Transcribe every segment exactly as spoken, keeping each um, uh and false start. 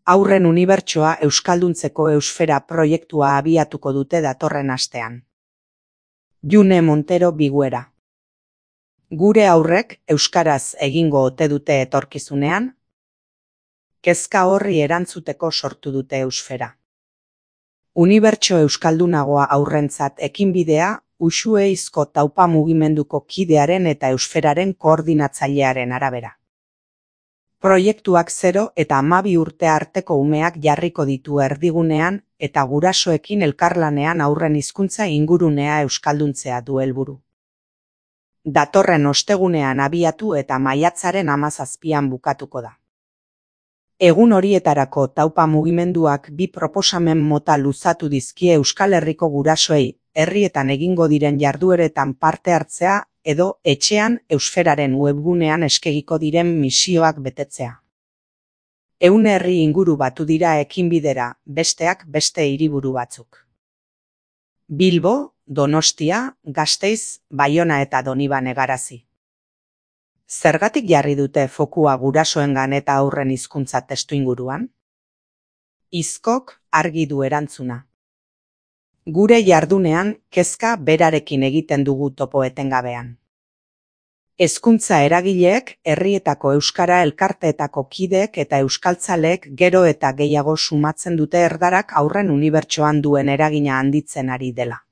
Haurren unibertsoa euskalduntzeko Eusfera proiektua abiatuko dute datorren astean. June Montero Biguera. Gure haurrek euskaraz egingo ote dute etorkizunean? Kezka horri erantzuteko sortu dute Eusfera. Unibertso euskaldunagoa haurrentzat ekinbidea Uxueizko taupa mugimenduko kidearen eta Eusferaren koordinatzailearen arabera. Proiektuak zero eta hamabi urte arteko umeak jarriko ditu erdigunean eta gurasoekin elkarlanean haurren hizkuntza ingurunea euskalduntzea du helburu. Datorren ostegunean abiatu eta maiatzaren hamazazpian bukatuko da. Egun horietarako taupa mugimenduak bi proposamen mota luzatu dizkie Euskal Herriko gurasoei, herrietan egingo diren jardueretan parte hartzea edo etxean Eusferaren webgunean eskegiko diren misioak betetzea. Ehun herri inguru batu dira ekinbidera, besteak beste hiriburu batzuk. Bilbo, Donostia, Gasteiz, Baiona eta Donibane Garazi. Zergatik jarri dute fokua gurasoengan eta haurren hizkuntza testuinguruan? Izkok argi du erantzuna. Gure jardunean kezka berarekin egiten dugu topo etengabean. Hezkuntza eragileek, herrietako euskara elkarteetako kideek eta euskaltzaleek gero eta gehiago sumatzen dute erdarak haurren unibertsoan duen eragina handitzen ari dela.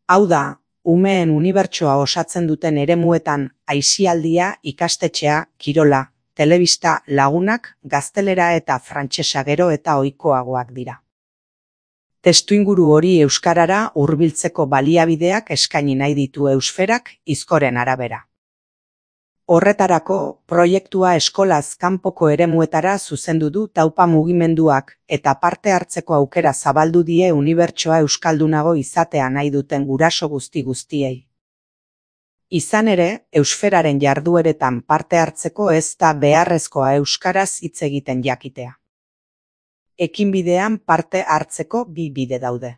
Hau da, umeen unibertsoa osatzen duten eremuetan aisialdia, ikastetxea, kirola, telebista, lagunak, gaztelera eta frantsesa gero eta ohikoagoak dira. Testuinguru hori euskarara hurbiltzeko baliabideak eskaini nahi ditu Eusferak Izkoren arabera. Horretarako, proiektua eskolaz kanpoko eremuetara zuzendu du taupa mugimenduak eta parte hartzeko aukera zabaldu die unibertsoa euskaldunago izatea nahi duten guraso guzti guztiei. Izan ere, Eusferaren jardueretan parte hartzeko ez da beharrezkoa euskaraz hitz egiten jakitea. Ekinbidean parte hartzeko bi bide daude.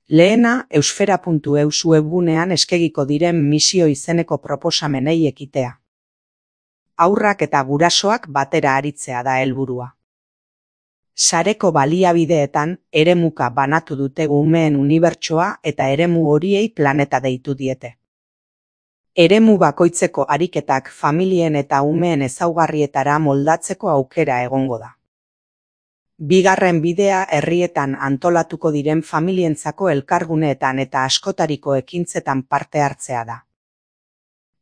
Lehena, eusfera puntu eus webgunean eskegiko diren misio izeneko proposamenei ekitea. Haurrak eta gurasoak batera aritzea da helburua. Sareko baliabideetan eremuka banatu dute umeen unibertsoa eta eremu horiei planeta deitu diete. Eremu bakoitzeko ariketak familien eta umeen ezaugarrietara moldatzeko aukera egongo da. Bigarren bidea herrietan antolatuko diren familientzako elkarguneetan eta askotariko ekintzetan parte hartzea da.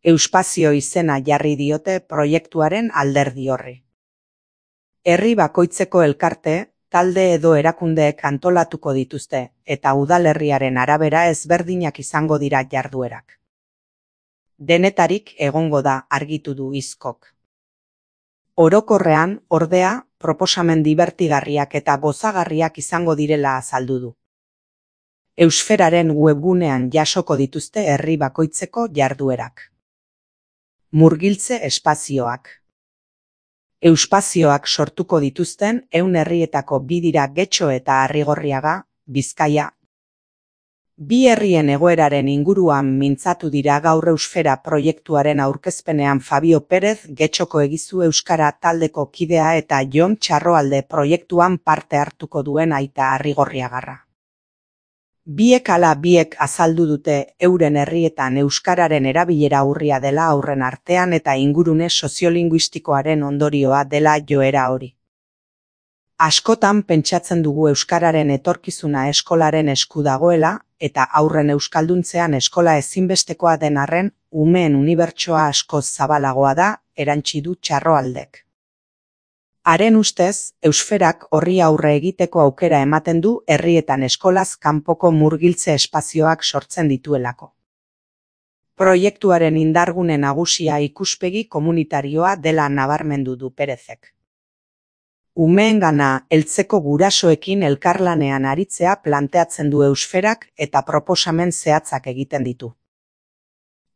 Euspazio izena jarri diote proiektuaren alderdi horri. Herri bakoitzeko elkarte, talde edo erakundeek antolatuko dituzte eta udalerriaren arabera ezberdinak izango dira jarduerak. Denetarik egongo da argitu du Izkok. Orokorrean, ordea, proposamen dibertigarriak eta gozagarriak izango direla azaldu du. Eusferaren webgunean jasoko dituzte herri bakoitzeko jarduerak. Murgiltze espazioak. Euspazioak sortuko dituzten ehun herrietako bi dira Getxo eta Arrigorriaga, Bizkaia. Bi herrien egoeraren inguruan mintzatu dira gaur Eusfera proiektuaren aurkezpenean Fabio Perez Getxoko Egizu Euskara taldeko kidea eta Jon Txarroalde proiektuan parte hartuko duen aita Arrigorriagarra. Biek ala biek azaldu dute euren herrietan euskararen erabilera urria dela haurren artean eta ingurune soziolinguistikoaren ondorioa dela joera hori. Askotan pentsatzen dugu euskararen etorkizuna eskolaren esku dagoela eta haurren euskalduntzean eskola ezinbestekoa den arren, umeen unibertsoa askoz zabalagoa da, erantsi du Txarroaldek. Haren ustez, Eusferak horri aurre egiteko aukera ematen du herrietan eskolaz kanpoko murgiltze espazioak sortzen dituelako. Proiektuaren indargune nagusia ikuspegi komunitarioa dela nabarmendu du Perezek. Umeengana heltzeko gurasoekin elkarlanean aritzea planteatzen du Eusferak eta proposamen zehatzak egiten ditu.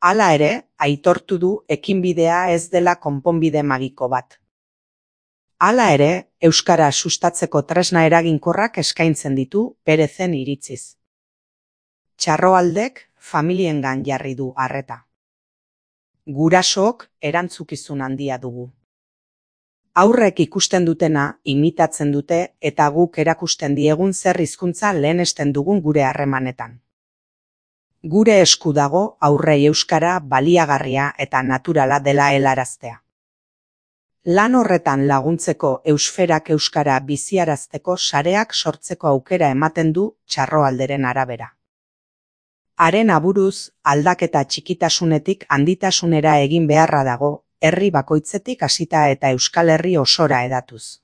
Hala ere, aitortu du ekinbidea ez dela konponbide magiko bat. Hala ere, euskara sustatzeko tresna eraginkorrak eskaintzen ditu Perezen iritziz. Txarroaldek familiengan jarri du arreta. Gurasook erantzukizun handia dugu. Aurrek ikusten dutena imitatzen dute eta guk erakusten diegun zer hizkuntza lehenesten dugun gure harremanetan. Gure esku dago aurrei euskara baliagarria eta naturala dela helaraztea. Lan horretan laguntzeko Eusferak euskara biziarazteko sareak sortzeko aukera ematen du Txarroalderen arabera. Haren aburuz, aldaketa txikitasunetik handitasunera egin beharra dago, herri bakoitzetik hasita eta Euskal Herri osora hedatuz.